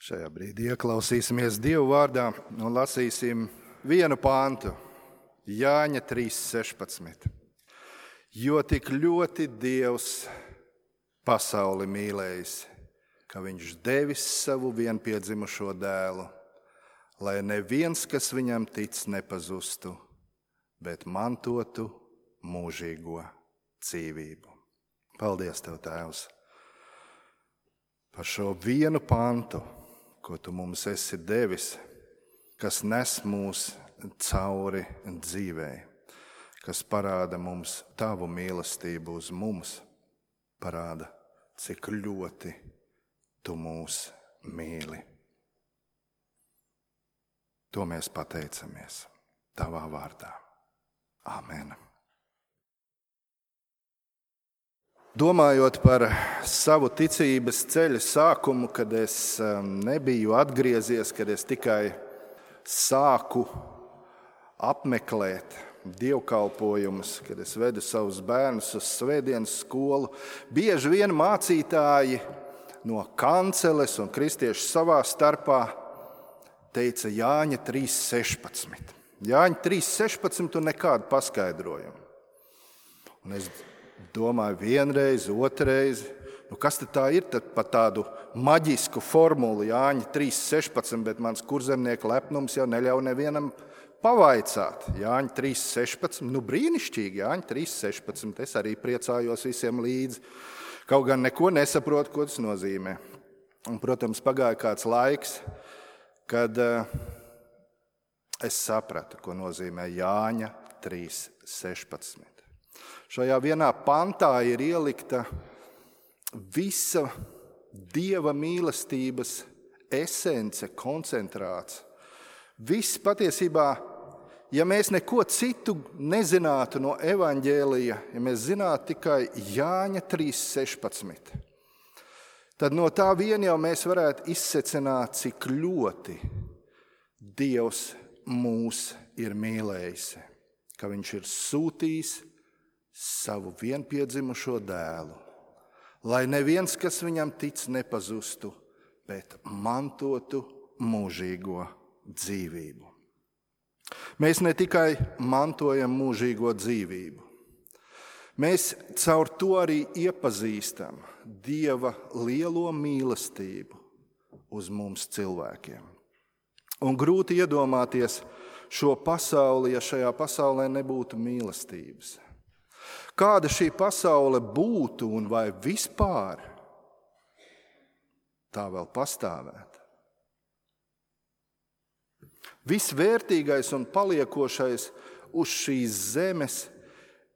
Šajā brīdī ieklausīsimies Dievu vārdā un lasīsim vienu pāntu, Jāņa 3:16. Jo tik ļoti Dievs pasauli mīlējis, ka viņš devis savu vienpiedzimušo dēlu, lai neviens, kas viņam tic, nepazustu, bet mantotu mūžīgo dzīvību. Paldies Tev, Tēvs, par šo vienu pantu, ko Tu mums esi devis, kas nes mūs cauri dzīvei, kas parāda mums Tavu mīlestību uz mums, parāda, cik ļoti Tu mūs mīli. To mēs pateicamies Tavā vārdā. Āmen. Domājot par savu ticības ceļa sākumu, kad es nebiju atgriezies, kad es tikai sāku apmeklēt dievkalpojumus, kad es vedu savus bērnus uz svētdienas skolu, bieži vien mācītāji no kanceles un kristieši savā starpā teica Jāņa 3:16. Jāņa 3:16 un nekādu paskaidrojumu. Un es domāju vienreiz, otrreiz, kas tad tā ir par tādu maģisku formulu Jāņa 3:16, bet mans kurzemnieku lepnums jau neļauj nevienam pavaicāt. Jāņa 3:16, brīnišķīgi, Jāņa 3:16, es arī priecājos visiem līdzi. Kaut gan neko nesaprotu, ko tas nozīmē. Un, protams, pagāja kāds laiks, kad es sapratu, ko nozīmē Jāņa 3:16. Šajā vienā pantā ir ielikta visa Dieva mīlestības esence, koncentrāts. Viss patiesībā, ja mēs neko citu nezinātu no evaņģēlija, ja mēs zinātu tikai Jāņa 3:16, tad no tā vien jau mēs varētu izsecināt, cik ļoti Dievs mūs ir mīlējis, ka viņš ir sūtījis savu vienpiedzimušo dēlu, lai neviens, kas viņam tic, nepazustu, bet mantotu mūžīgo dzīvību. Mēs ne tikai mantojam mūžīgo dzīvību, mēs caur to arī iepazīstam Dieva lielo mīlestību uz mums cilvēkiem. Un grūti iedomāties šo pasauli, ja šajā pasaulē nebūtu mīlestības. Kāda šī pasaule būtu un vai vispār tā vēl pastāvētu? Viss vērtīgais un paliekošais uz šīs zemes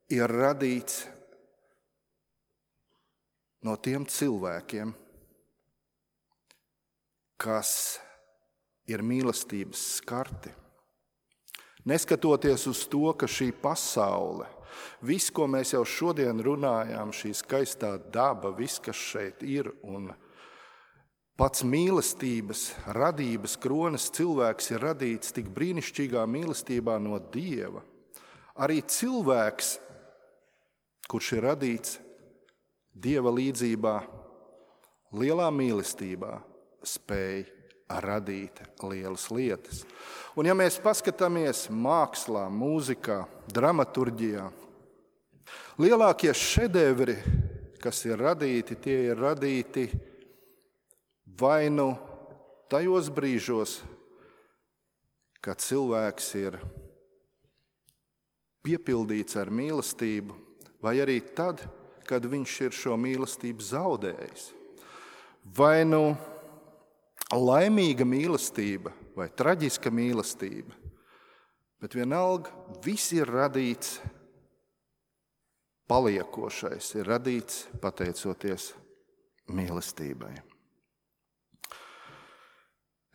ir radīts no tiem cilvēkiem, kas ir mīlestības skarti. Neskatoties uz to, ka šī pasaule, viss, ko mēs jau šodien runājām, šī skaistā daba, viss, kas šeit ir, un pats mīlestības, radības kronas cilvēks ir radīts tik brīnišķīgā mīlestībā no Dieva. Arī cilvēks, kurš ir radīts Dieva līdzībā, lielā mīlestībā, spēj radīt lielas lietas. Un ja mēs paskatāmies mākslā, mūzikā, dramaturģijā, lielākie šedevri, kas ir radīti, tie ir radīti vai nu tajos brīžos, kad cilvēks ir piepildīts ar mīlestību, vai arī tad, kad viņš ir šo mīlestību zaudējis. Vai nu laimīga mīlestība vai traģiska mīlestība, bet vienalga viss ir radīts paliekošais, ir radīts pateicoties mīlestībai.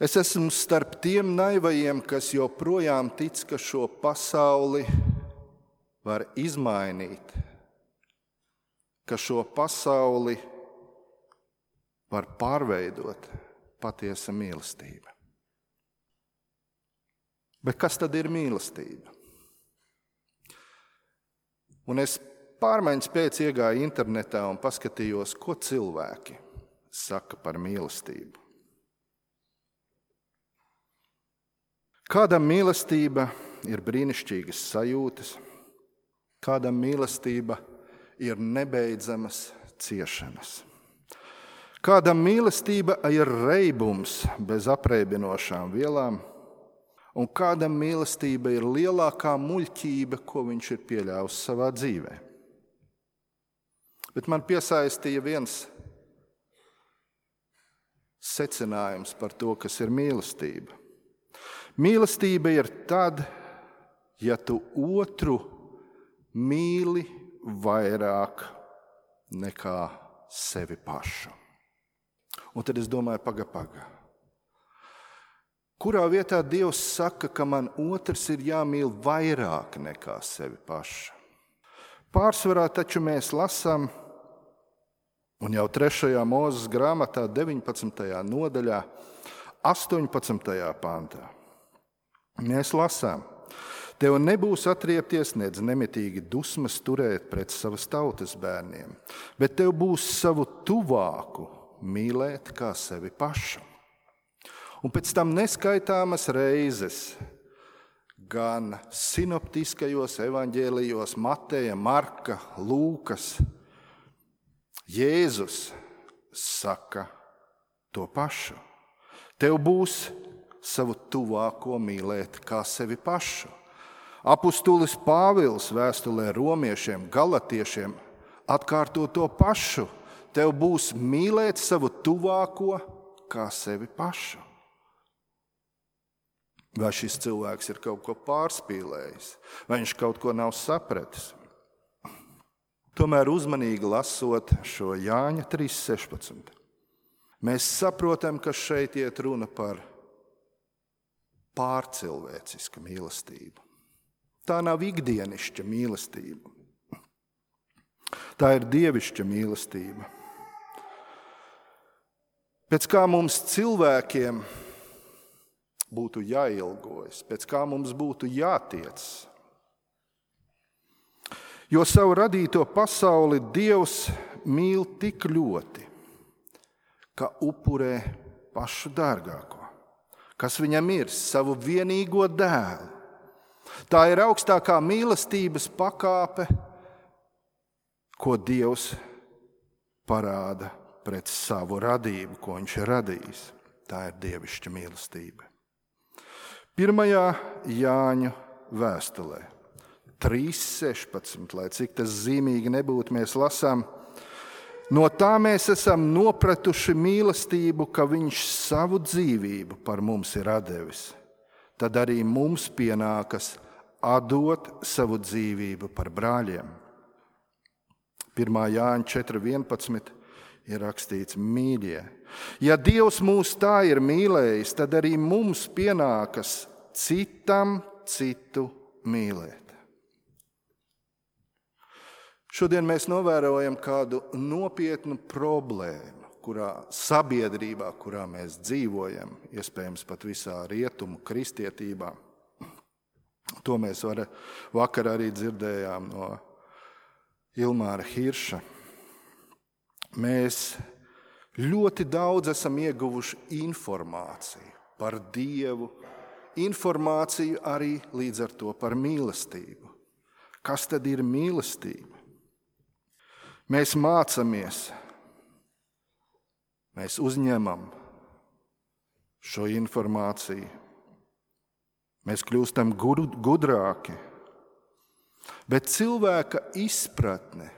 Es esmu starp tiem naivajiem, kas joprojām tic, ka šo pasauli var izmainīt, ka šo pasauli var pārveidot patiesa mīlestība. Bet kas tad ir mīlestība? Un es pārmaiņas pēc iegāju internetā un paskatījos, ko cilvēki saka par mīlestību. Kādam mīlestība ir brīnišķīgas sajūtas, kādam mīlestība ir nebeidzamas ciešanas. Kādam mīlestība ir reibums bez apreibinošām vielām, un kādam mīlestība ir lielākā muļķība, ko viņš ir pieļāvis savā dzīvē. Bet man piesaistīja viens secinājums par to, kas ir mīlestība. Mīlestība ir tad, ja tu otru mīli vairāk nekā sevi pašu. Un tad es domāju, paga. Kurā vietā Dievs saka, ka man otrs ir jāmīl vairāk nekā sevi pašu? Pārsvarā taču mēs lasām, un jau 3. Mūzes grāmatā 19. nodaļā, 18. pantā. Mēs lasām, tev nebūs atriepties, nedz nemitīgi dusmas turēt pret savas tautas bērniem, bet tev būs savu tuvāku mīlēt kā sevi pašu. Un pēc tam neskaitāmas reizes gan sinoptiskajos evaņģēlijos Mateja, Marka, Lūkas, Jēzus saka to pašu. Tev būs savu tuvāko mīlēt kā sevi pašu. Apustulis Pāvils vēstulē romiešiem, galatiešiem atkārto to pašu. Tev būs mīlēt savu tuvāko kā sevi pašu. Vai šis cilvēks ir kaut ko pārspīlējis, vai viņš kaut ko nav sapratis? Tomēr uzmanīgi lasot šo Jāņa 3.16, mēs saprotam, ka šeit iet runa par pārcilvēcisku mīlestību. Tā nav ikdienišķa mīlestība. Tā ir dievišķa mīlestība. Pēc kā mums cilvēkiem būtu jāilgojas, pēc kā mums būtu jātiec. Jo savu radīto pasauli Dievs mīl tik ļoti, ka upurē pašu dārgāko, kas viņam ir, savu vienīgo dēlu. Tā ir augstākā mīlestības pakāpe, ko Dievs parāda pret savu radību, ko viņš ir radījis. Tā ir dievišķa mīlestība. 1. Jāņa vēstulē 3.16, lai cik tas zīmīgi nebūtu, mēs lasām, no tā mēs esam nopratuši mīlestību, ka viņš savu dzīvību par mums ir atdevis. Tad arī mums pienākas atdot savu dzīvību par brāļiem. 1. Jāņa 4.11 ir rakstīts, mīļie, ja Dievs mūs tā ir mīlējis, tad arī mums pienākas citam citu mīlēt. Šodien mēs novērojam kādu nopietnu problēmu, sabiedrībā, kurā mēs dzīvojam, iespējams pat visā rietumu kristietībā. To mēs vakar arī dzirdējām no Ilmāra Hirša. Mēs ļoti daudz esam ieguvuši informāciju par Dievu, informāciju arī līdz ar to par mīlestību. Kas tad ir mīlestība? Mēs mācāmies, mēs uzņemam šo informāciju, mēs kļūstam gudrāki, bet cilvēka izpratne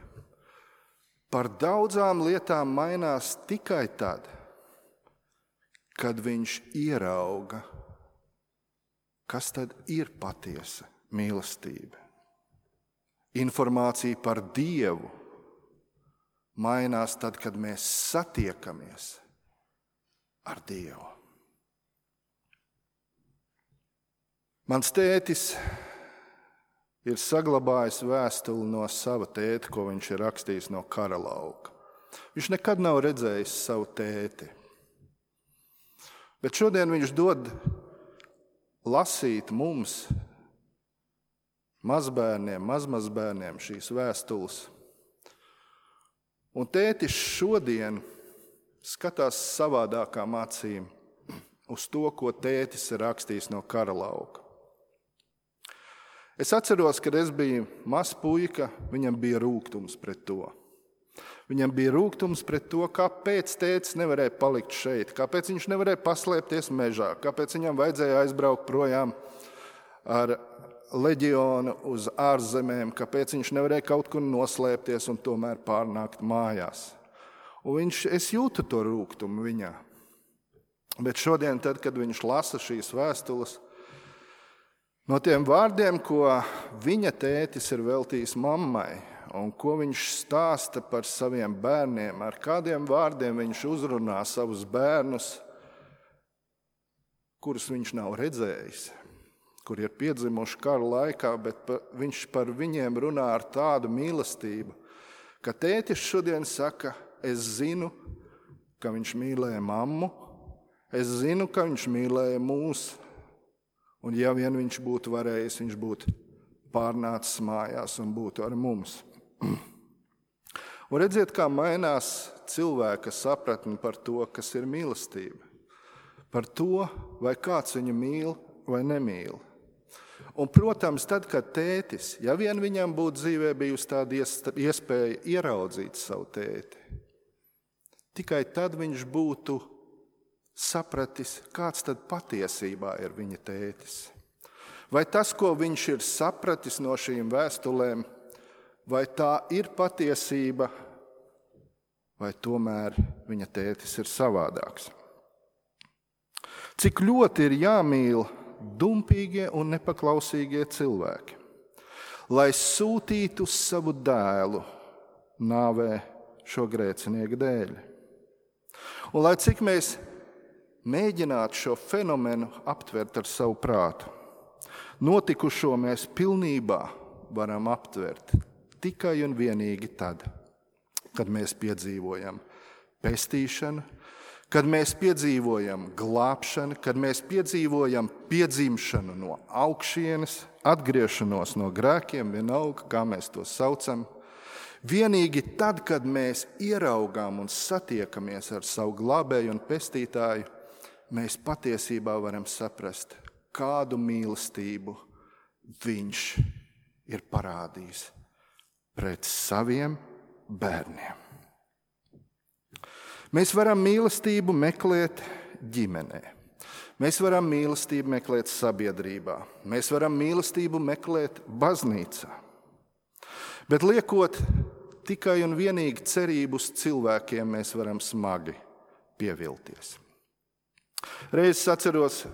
par daudzām lietām mainās tikai tad, kad viņš ierauga, kas tad ir patiesa mīlestība. Informācija par Dievu mainās tad, kad mēs satiekamies ar Dievu. Mans tētis ir saglabājis vēstuli no sava tēta, ko viņš ir rakstījis no kara lauka. Viņš nekad nav redzējis savu tēti. Bet šodien viņš dod lasīt mums, mazbērniem, mazmazbērniem šīs vēstules. Un tētis šodien skatās savādākām acīm uz to, ko tētis ir rakstījis no kara lauka. Es atceros, kad es biju mazs puika, viņam bija rūgtums pret to. Viņam bija rūgtums pret to, kāpēc tētis nevarēja palikt šeit, kāpēc viņš nevarēja paslēpties mežā, kāpēc viņam vajadzēja aizbraukt projām ar leģionu uz ārzemēm, kāpēc viņš nevarēja kaut kur noslēpties un tomēr pārnākt mājās. Un es jūtu to rūgtumu viņā. Bet šodien, tad, kad viņš lasa šīs vēstules, no tiem vārdiem, ko viņa tētis ir veltījis mammai, un ko viņš stāsta par saviem bērniem, ar kādiem vārdiem viņš uzrunā savus bērnus, kurus viņš nav redzējis, kur ir piedzimuši kara laikā, bet viņš par viņiem runā ar tādu mīlestību, ka tētis šodien saka, es zinu, ka viņš mīlēja mammu, es zinu, ka viņš mīlēja mūs, un ja vien viņš būtu varējis, viņš būtu pārnācis mājās un būtu ar mums. Un redziet, kā mainās cilvēka sapratne par to, kas ir mīlestība. Par to, vai kāds viņu mīl vai nemīl. Un, protams, tad, kad tētis, ja vien viņam būtu dzīvē bijusi tāda iespēja ieraudzīt savu tēti, tikai tad viņš būtu sapratis, kāds tad patiesībā ir viņa tētis. Vai tas, ko viņš ir sapratis no šīm vēstulēm, vai tā ir patiesība, vai tomēr viņa tētis ir savādāks. Cik ļoti ir jāmīl dumpīgie un nepaklausīgie cilvēki, lai sūtītu savu dēlu nāvē šo grēcinieku dēļ. Un lai cik mēs mēģinātu šo fenomenu aptvert ar savu prātu, notikušo mēs pilnībā varam aptvert tikai un vienīgi tad, kad mēs piedzīvojam pestīšanu, kad mēs piedzīvojam glābšanu, kad mēs piedzīvojam piedzimšanu no augšienes, atgriešanos no grēkiem, vienalga, kā mēs to saucam. Vienīgi tad, kad mēs ieraugām un satiekamies ar savu glābēju un pestītāju, mēs patiesībā varam saprast, kādu mīlestību viņš ir parādījis pret saviem bērniem. Mēs varam mīlestību meklēt ģimenē. Mēs varam mīlestību meklēt sabiedrībā. Mēs varam mīlestību meklēt baznīcā. Bet liekot tikai un vienīgi cerību uz cilvēkiem, mēs varam smagi pievilties. Reiz es atceros,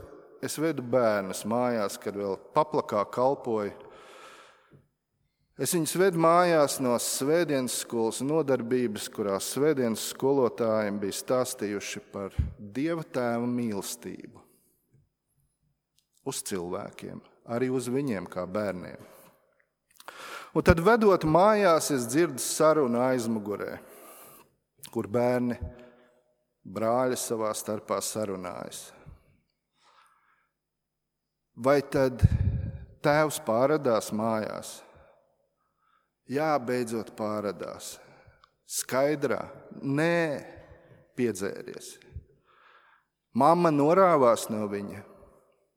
es vedu bērnus mājās, kad vēl Paplakā kalpoju. Es viņus vedu mājās no svētdienas skolas nodarbības, kurās svētdienas skolotājiem bija stāstījuši par Dieva Tēva mīlestību uz cilvēkiem, arī uz viņiem kā bērniem. Un tad vedot mājās, es dzirdu sarunu aizmugurē, kur bērni, brāļi savā starpā sarunājas. Vai tad tēvs pārradās mājās? Jā, beidzot pārradās. Skaidrā? Nē, piedzēries. Mamma norāvās no viņa?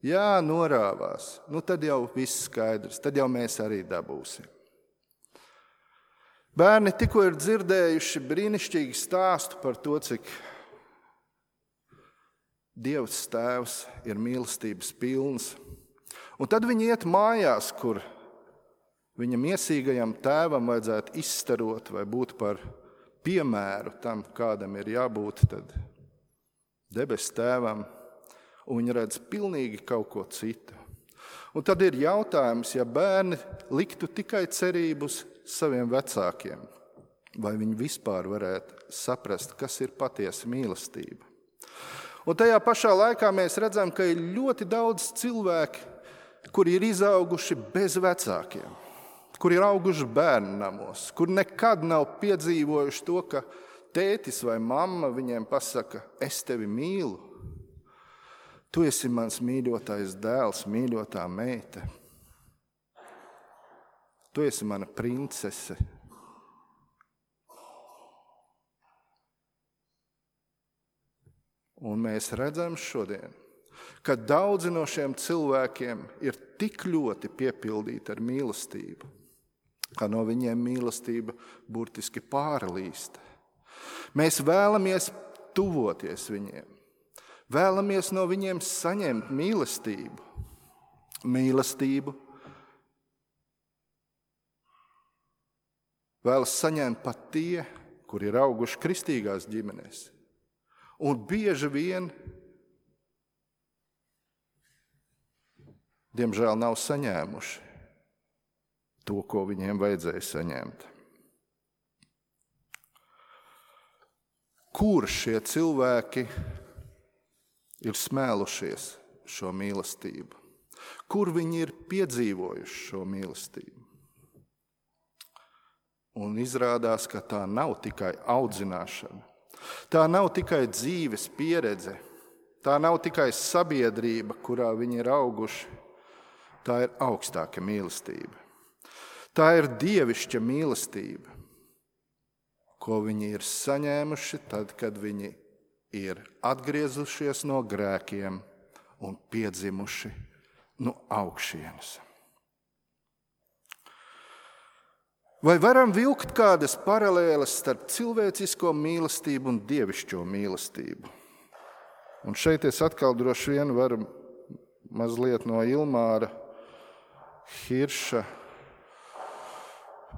Jā, norāvās. Nu tad jau viss skaidrs, tad jau mēs arī dabūsim. Bērni tikko ir dzirdējuši brīnišķīgu stāstu par to, cik Dievs Tēvs ir mīlestības pilns. Un tad viņi iet mājās, kur viņa miesīgajam tēvam vajadzētu izstarot vai būt par piemēru tam, kādam ir jābūt tad debes tēvam, un viņi redz pilnīgi kaut ko citu. Un tad ir jautājums, ja bērni liktu tikai cerību uz saviem vecākiem, vai viņi vispār varētu saprast, kas ir patiesa mīlestība. Un tajā pašā laikā mēs redzam, ka ir ļoti daudz cilvēki, kuri ir izauguši bez vecākiem, kuri ir auguši bērnu namos, kuri nekad nav piedzīvojuši to, ka tētis vai mamma viņiem pasaka, es tevi mīlu. Tu esi mans mīļotais dēls, mīļotā meita. Tu esi mana princese. Un mēs redzam šodien, ka daudzi no šiem cilvēkiem ir tik ļoti piepildīti ar mīlestību, ka no viņiem mīlestība burtiski pārlīst. Mēs vēlamies tuvoties viņiem, vēlamies no viņiem saņemt mīlestību. Mīlestību vēlas saņemt pat tie, kuri ir auguši kristīgās ģimenēs. Un bieži vien, diemžēl, nav saņēmuši to, ko viņiem vajadzēja saņemt. Kur šie cilvēki ir smēlušies šo mīlestību? Kur viņi ir piedzīvojuši šo mīlestību? Un izrādās, ka tā nav tikai audzināšana, tā nav tikai dzīves pieredze, tā nav tikai sabiedrība, kurā viņi ir auguši, tā ir augstāka mīlestība. Tā ir dievišķa mīlestība, ko viņi ir saņēmuši tad, kad viņi ir atgriezušies no grēkiem un piedzimuši no augšienes. Vai varam vilkt kādas paralēles starp cilvēcisko mīlestību un dievišķo mīlestību? Un šeit es atkal droši vien varu mazliet no Ilmāra Hirša.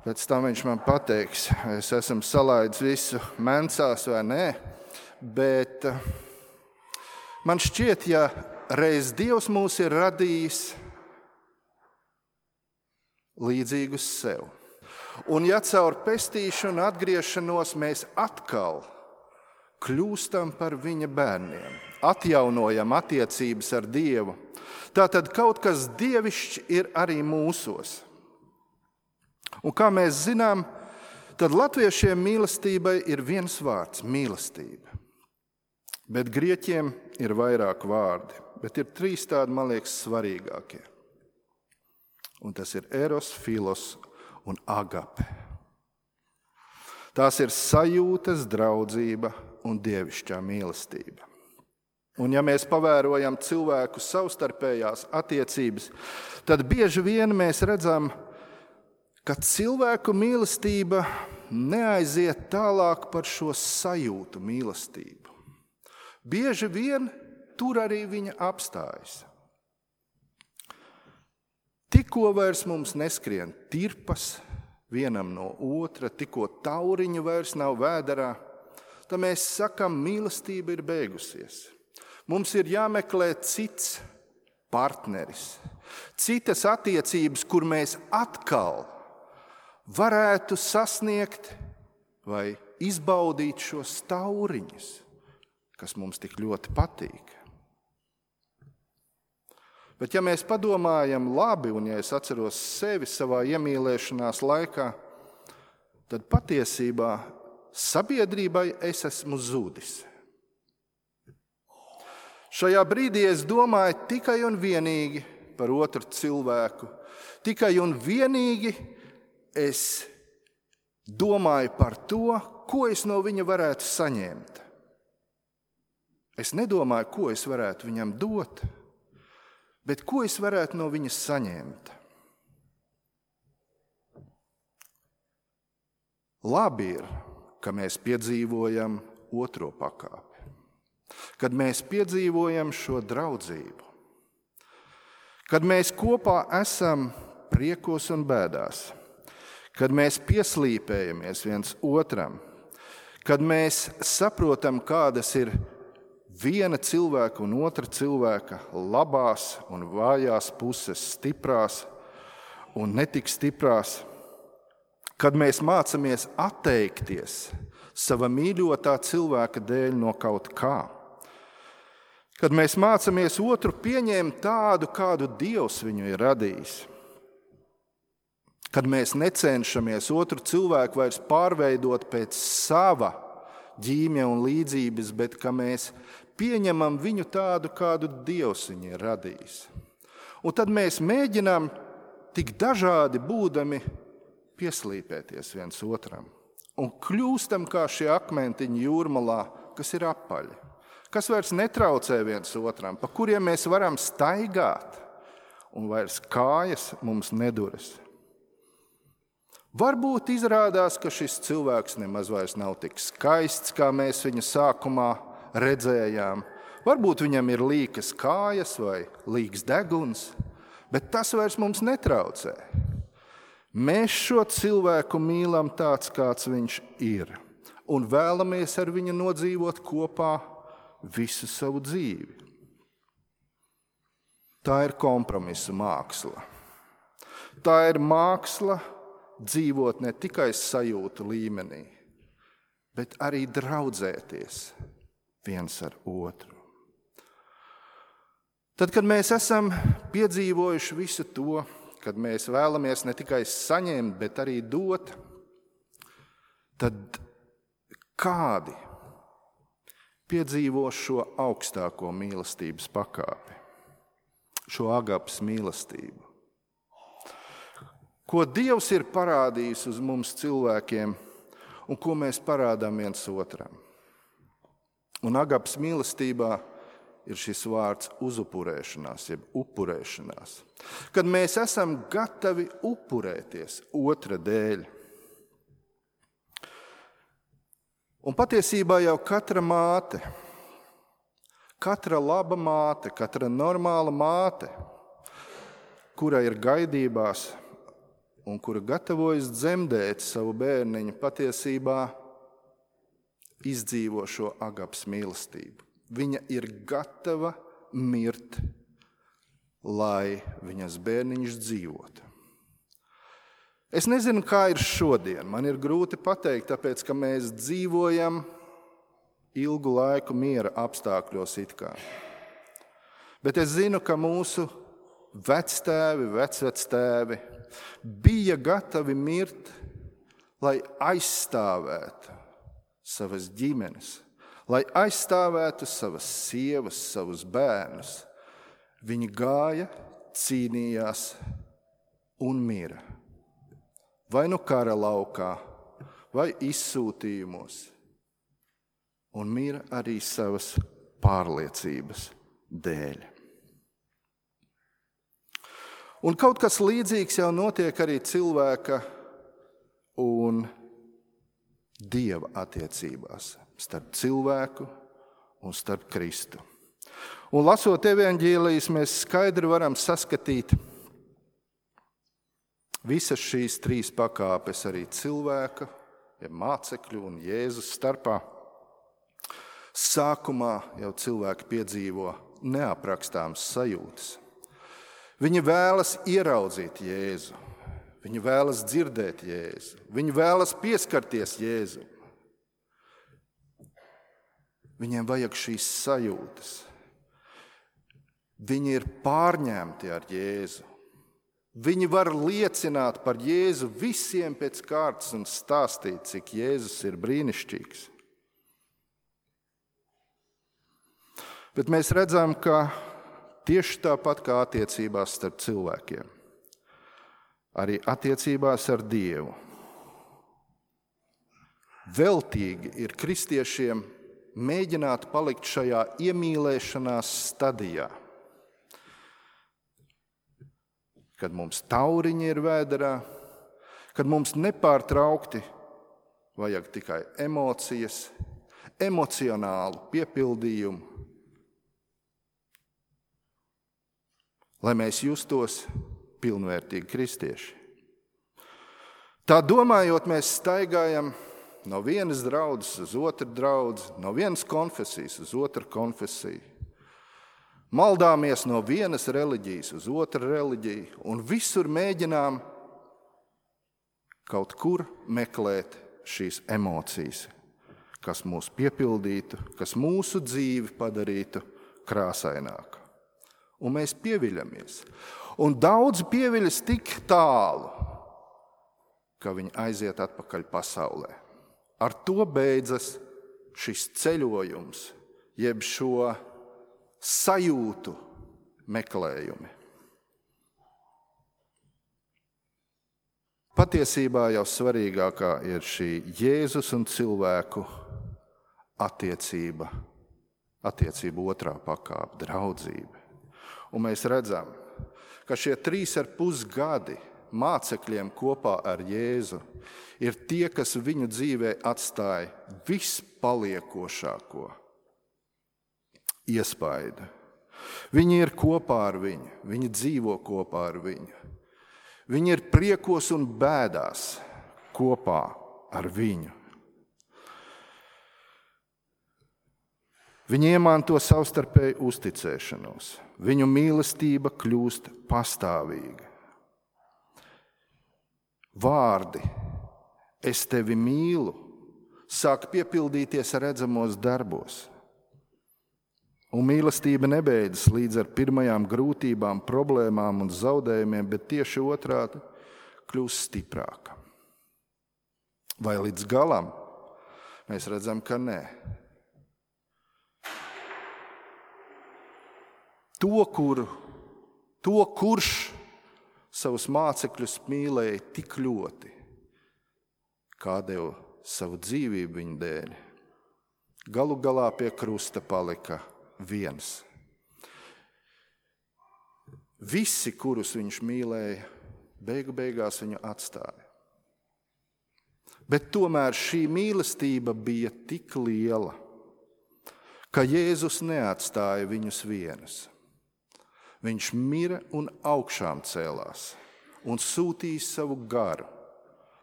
Pēc tam viņš man pateiks, vai es esmu salaidis visu mencās vai nē, bet man šķiet, ja reiz Dievs mūs ir radījis līdzīgus sev, un ja caur pestīšanu un atgriešanos mēs atkal kļūstam par viņa bērniem, atjaunojam attiecības ar Dievu, tātad kaut kas dievišķs ir arī mūsos. Un kā mēs zinām, tad latviešiem mīlestībai ir viens vārds – mīlestība. Bet grieķiem ir vairāk vārdi, bet ir 3 tādi, man liekas, svarīgākie. Un tas ir eros, filos un agape. Tās ir sajūtas, draudzība un dievišķā mīlestība. Un ja mēs pavērojam cilvēku savstarpējās attiecības, tad bieži vien mēs redzam, ka cilvēku mīlestība neaiziet tālāk par šo sajūtu mīlestību. Bieži vien tur arī viņa apstājas. Tikko vairs mums neskrien tirpas vienam no otra, tikko tauriņu vairs nav vēderā, tad mēs sakam, mīlestība ir beigusies. Mums ir jāmeklē cits partneris, citas attiecības, kur mēs atkal varētu sasniegt vai izbaudīt šos tauriņus, kas mums tik ļoti patīk. Bet ja mēs padomājam labi, un ja es atceros sevi savā iemīlēšanās laikā, tad patiesībā sabiedrībai es esmu zudis. Šajā brīdī es domāju tikai un vienīgi par otru cilvēku, tikai un vienīgi es domāju par to, ko es no viņa varētu saņemt. Es nedomāju, ko es varētu viņam dot, bet ko es varētu no viņa saņemt. Labi ir, ka mēs piedzīvojam otro pakāpi, kad mēs piedzīvojam šo draudzību, kad mēs kopā esam priekos un bēdās, kad mēs pieslīpējamies viens otram, kad mēs saprotam, kādas ir viena cilvēka un otra cilvēka labās un vājās puses, stiprās un netik stiprās, kad mēs mācamies atteikties sava mīļotā cilvēka dēļ no kaut kā, kad mēs mācamies otru pieņemt tādu, kādu Dievs viņu ir radījis, kad mēs necenšamies otru cilvēku vairs pārveidot pēc sava ģīmja un līdzības, bet ka mēs pieņemam viņu tādu, kādu Dievs viņu ir radījis. Un tad mēs mēģinām tik dažādi būdami pieslīpēties viens otram un kļūstam kā šie akmentiņi jūrmalā, kas ir apaļi, kas vairs netraucē viens otram, pa kuriem mēs varam staigāt, un vairs kājas mums neduras. Varbūt izrādās, ka šis cilvēks nemaz vairs nav tik skaists, kā mēs viņu sākumā redzējām. Varbūt viņam ir līkas kājas vai līks deguns, bet tas vairs mums netraucē. Mēs šo cilvēku mīlam tāds, kāds viņš ir, un vēlamies ar viņu nodzīvot kopā visu savu dzīvi. Tā ir kompromisa māksla. Tā ir māksla dzīvot ne tikai sajūtu līmenī, bet arī draudzēties viens ar otru. Tad, kad mēs esam piedzīvojuši visu to, kad mēs vēlamies ne tikai saņemt, bet arī dot, tad kādi piedzīvo šo augstāko mīlestības pakāpi, šo agapes mīlestību? Ko Dievs ir parādījis uz mums cilvēkiem un ko mēs parādām viens otram. Un agapes mīlestībā ir šis vārds uzupurēšanās, jeb upurēšanās. Kad mēs esam gatavi upurēties otra dēļ. Un patiesībā jau katra māte, katra laba māte, katra normāla māte, kura ir gaidībās un kura gatavojas dzemdēt savu bērniņu, patiesībā izdzīvo šo agapes mīlestību. Viņa ir gatava mirt, lai viņas bērniņš dzīvotu. Es nezinu, kā ir šodien. Man ir grūti pateikt, tāpēc, ka mēs dzīvojam ilgu laiku miera apstākļos it kā. Bet es zinu, ka mūsu vectēvi, vecvectēvi bija gatavi mirt, lai aizstāvētu savas ģimenes, lai aizstāvētu savas sievas, savus bērnus. Viņi gāja, cīnījās un mira. Vai nu kara laukā, vai izsūtījumos. Un mira arī savas pārliecības dēļ. Un kaut kas līdzīgs jau notiek arī cilvēka un Dieva attiecībās, starp cilvēku un starp Kristu. Un lasot evaņģēlijas, mēs skaidri varam saskatīt visas šīs trīs pakāpes arī cilvēka, ja mācekļu un Jēzus starpā. Sākumā jau cilvēki piedzīvo neaprakstāmas sajūtas. Viņi vēlas ieraudzīt Jēzu, viņi vēlas dzirdēt Jēzu, viņi vēlas pieskarties Jēzu. Viņiem vajag šīs sajūtas. Viņi ir pārņemti ar Jēzu. Viņi var liecināt par Jēzu visiem pēc kārtas un stāstīt, cik Jēzus ir brīnišķīgs. Bet mēs redzam, ka tieši tāpat kā attiecībās starp cilvēkiem, arī attiecībās ar Dievu. Veltīgi ir kristiešiem mēģināt palikt šajā iemīlēšanās stadijā, kad mums tauriņi ir vēderā, kad mums nepārtraukti vajag tikai emocijas, emocionālu piepildījumu, lai mēs justos pilnvērtīgi kristieši. Tā domājot, mēs staigājam no vienas draudzes uz otru draudzi, no vienas konfesijas uz otru konfesiju. Maldāmies no vienas reliģijas uz otru reliģiju un visur mēģinām kaut kur meklēt šīs emocijas, kas mūs piepildītu, kas mūsu dzīvi padarītu krāsaināku. Un mēs pieviļamies. Un daudz pieviļas tik tālu, ka viņi aiziet atpakaļ pasaulē. Ar to beidzas šis ceļojums, jeb šo sajūtu meklējumi. Patiesībā jau svarīgākā ir šī Jēzus un cilvēku attiecība attiecību otrā pakāpe, draudzība. Un mēs redzam, ka šie 3,5 gadi mācekļiem kopā ar Jēzu ir tie, kas viņu dzīvē atstāja vispaliekošāko iespaidu. Viņi ir kopā ar viņu, viņi dzīvo kopā ar viņu. Viņi ir priekos un bēdās kopā ar viņu. Viņi iemanto savstarpēju uzticēšanos. Viņu mīlestība kļūst pastāvīga. Vārdi "es tevi mīlu" sāk piepildīties redzamos darbos. Un mīlestība nebeidzas līdz ar pirmajām grūtībām, problēmām un zaudējumiem, bet tieši otrādi kļūst stiprāka. Vai līdz galam? Mēs redzam, ka nē. Kurš savus mācekļus mīlēja tik ļoti, kā deva savu dzīvību viņu dēļ, galu galā pie krusta palika viens. Visi, kurus viņš mīlēja, beigās viņu atstāja. Bet tomēr šī mīlestība bija tik liela, ka Jēzus neatstāja viņus vienus. Viņš mira un augšām cēlās un sūtīja savu garu,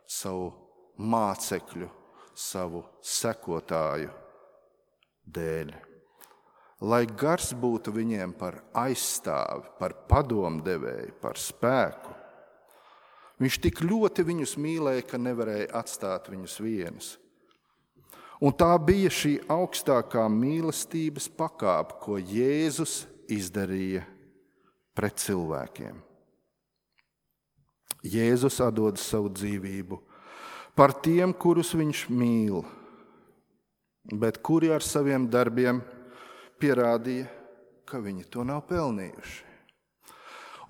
savu mācekļu, savu sekotāju dēļ. Lai gars būtu viņiem par aizstāvi, par padomdevēju, par spēku. Viņš tik ļoti viņus mīlēja, ka nevarēja atstāt viņus vienus. Un tā bija šī augstākā mīlestības pakāpe, ko Jēzus izdarīja pret cilvēkiem. Jēzus atdod savu dzīvību par tiem, kurus viņš mīl, bet kuri ar saviem darbiem pierādīja, ka viņi to nav pelnījuši.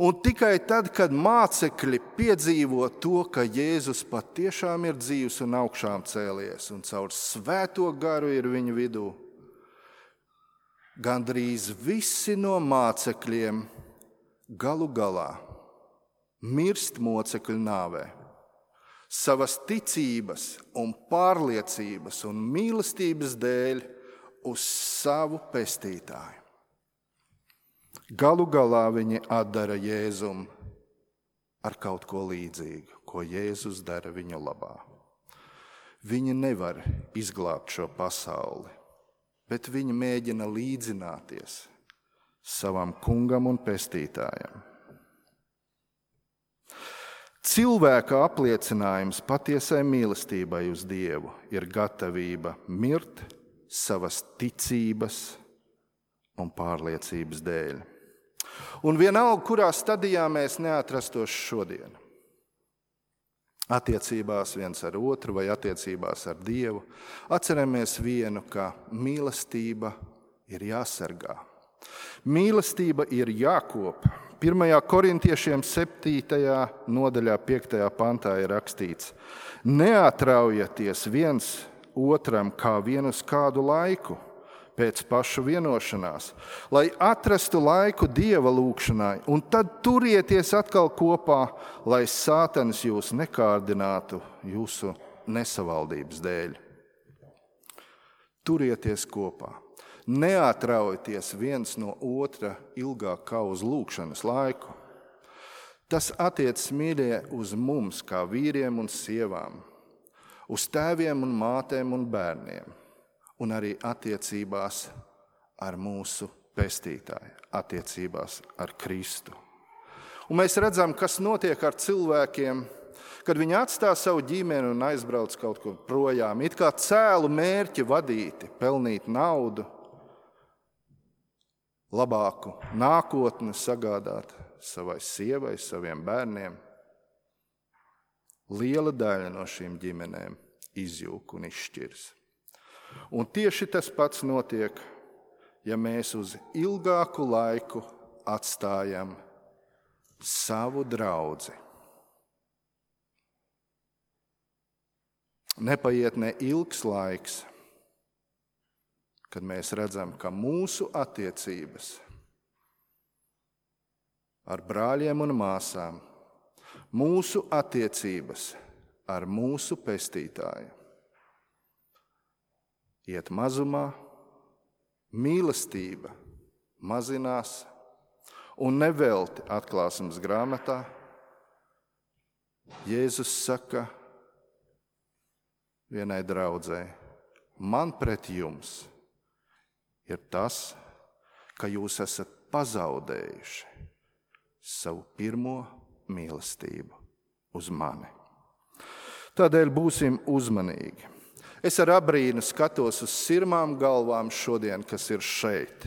Un tikai tad, kad mācekļi piedzīvo to, ka Jēzus patiešām ir dzīvs un augšām cēlies un caur svēto garu ir viņu vidū, gandrīz visi no mācekļiem galu galā mirst mocekļu nāvē, savas ticības un pārliecības un mīlestības dēļ uz savu pestītāju. Galu galā viņi atdara Jēzum ar kaut ko līdzīgu, ko Jēzus dara viņa labā. Viņi nevar izglābt šo pasauli, bet viņi mēģina līdzināties savam kungam un pestītājam. Cilvēka apliecinājums patiesai mīlestībai uz Dievu ir gatavība mirt savas ticības un pārliecības dēļ. Un vienalga, kurā stadijā mēs neatrastos šodien, attiecībās viens ar otru vai attiecībās ar Dievu, atceramies vienu, ka mīlestība ir jāsargā. Mīlestība ir jākop. 1. Korintiešiem 7. nodaļā 5. pantā ir rakstīts: neatraujieties viens otram kā vien uz kādu laiku, pēc pašu vienošanās, lai atrastu laiku Dieva lūgšanai, un tad turieties atkal kopā, lai Sātans jūs nekārdinātu jūsu nesavaldības dēļ. Turieties kopā. Neatraujieties viens no otra ilgāk kā uz lūgšanas laiku. Tas attiecas, mīļie, uz mums, kā vīriem un sievām, uz tēviem un mātēm un bērniem, un arī attiecībās ar mūsu pestītāju, attiecībās ar Kristu. Un mēs redzam, kas notiek ar cilvēkiem, kad viņi atstāj savu ģimeni un aizbrauc kaut kur projām, it kā cēlu mērķi vadīti, pelnīt naudu, labāku nākotni sagādāt savai sievai, saviem bērniem. Liela daļa no šīm ģimenēm izjūg un izšķirs. Un tieši tas pats notiek, ja mēs uz ilgāku laiku atstājam savu draudzi. Nepaiet ne ilgs laiks, kad mēs redzam, ka mūsu attiecības ar brāļiem un māsām, mūsu attiecības ar mūsu pestītāju iet mazumā, mīlestība mazinās, un nevelti atklāsmes grāmatā Jēzus saka vienai draudzei: man pret jums ir tas, ka jūs esat pazaudējuši savu pirmo mīlestību uz mani. Tādēļ būsim uzmanīgi. Es ar abrīnu skatos uz sirmām galvām šodien, kas ir šeit,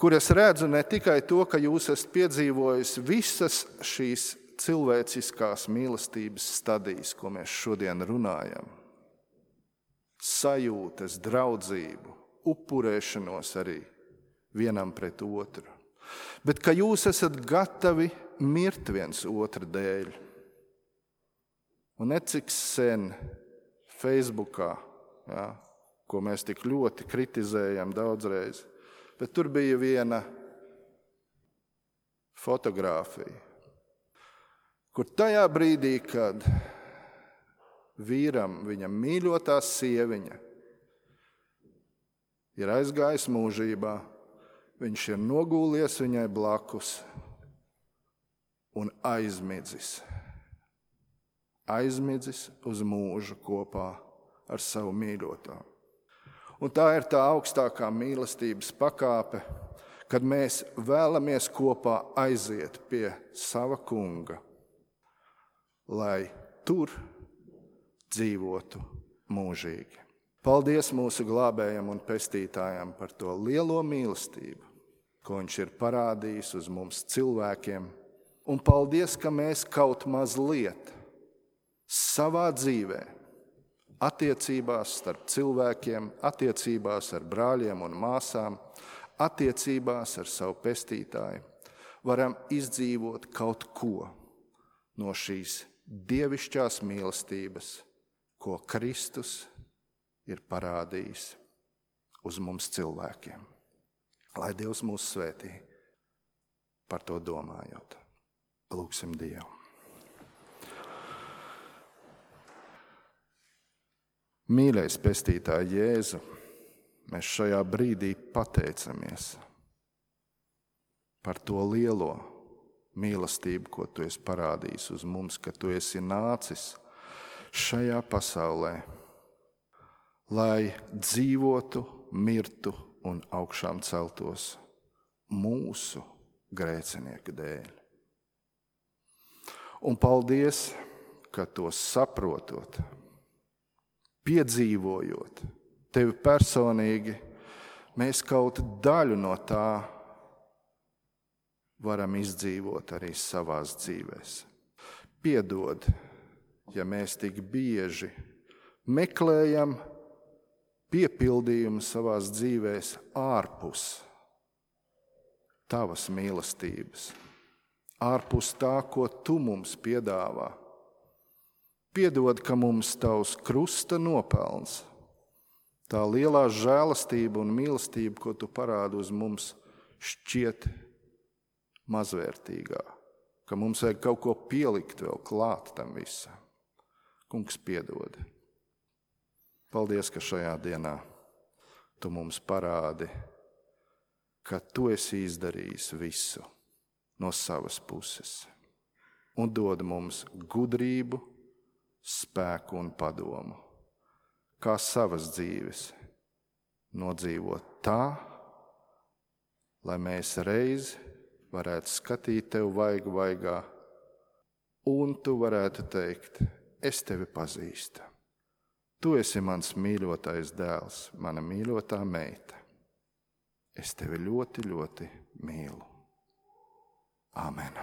kur es redzu ne tikai to, ka jūs esat piedzīvojis visas šīs cilvēciskās mīlestības stadijas, ko mēs šodien runājam, sajūtas, draudzību, upurēšanos arī vienam pret otru, bet ka jūs esat gatavi mirt viens otra dēļ. Un necik sen Facebookā, ko mēs tik ļoti kritizējam daudzreiz, bet tur bija viena fotogrāfija, kur tajā brīdī, kad vīram, viņa mīļotā sieviņa, ir aizgājis mūžībā, viņš ir nogūlies viņai blakus un aizmidzis uz mūžu kopā ar savu mīļoto. Un tā ir tā augstākā mīlestības pakāpe, kad mēs vēlamies kopā aiziet pie sava kunga, lai tur dzīvotu mūžīgi. Paldies mūsu glābējam un pestītājam par to lielo mīlestību, ko viņš ir parādījis uz mums cilvēkiem. Un paldies, ka mēs kaut mazliet savā dzīvē, attiecībās starp cilvēkiem, attiecībās ar brāļiem un māsām, attiecībās ar savu pestītāju, varam izdzīvot kaut ko no šīs dievišķās mīlestības, ko Kristus ir parādījis uz mums cilvēkiem. Lai Dievs mūs svētī par to domājot. Lūgsim Dievu. Mīļais pestītāj Jēzu, mēs šajā brīdī pateicamies par to lielo mīlestību, ko tu esi parādījis uz mums, ka tu esi nācis šajā pasaulē, lai dzīvotu, mirtu un augšām celtos mūsu grēcinieku dēļ. Un paldies, ka to saprotot, piedzīvojot tevi personīgi, mēs kaut daļu no tā varam izdzīvot arī savās dzīvēs. Piedod, ja mēs tik bieži meklējam piepildījumu savās dzīvēs ārpus tavas mīlestības, ārpus tā, ko tu mums piedāvā. Piedod, ka mums tavs krusta nopelns, tā lielā žēlastība un mīlestība, ko tu parādi uz mums, šķiet mazvērtīgā, ka mums vajag kaut ko pielikt vēl klāt tam visam. Kungs, piedod. Paldies, ka šajā dienā tu mums parādi, ka tu esi izdarījis visu no savas puses un dod mums gudrību, spēku un padomu, kā savas dzīves nodzīvot tā, lai mēs reiz varētu skatīt tev vaigu vaigā, un tu varētu teikt: es tevi pazīstu. Tu esi mans mīļotais dēls, mana mīļotā meita. Es tevi ļoti, ļoti mīlu. Āmen.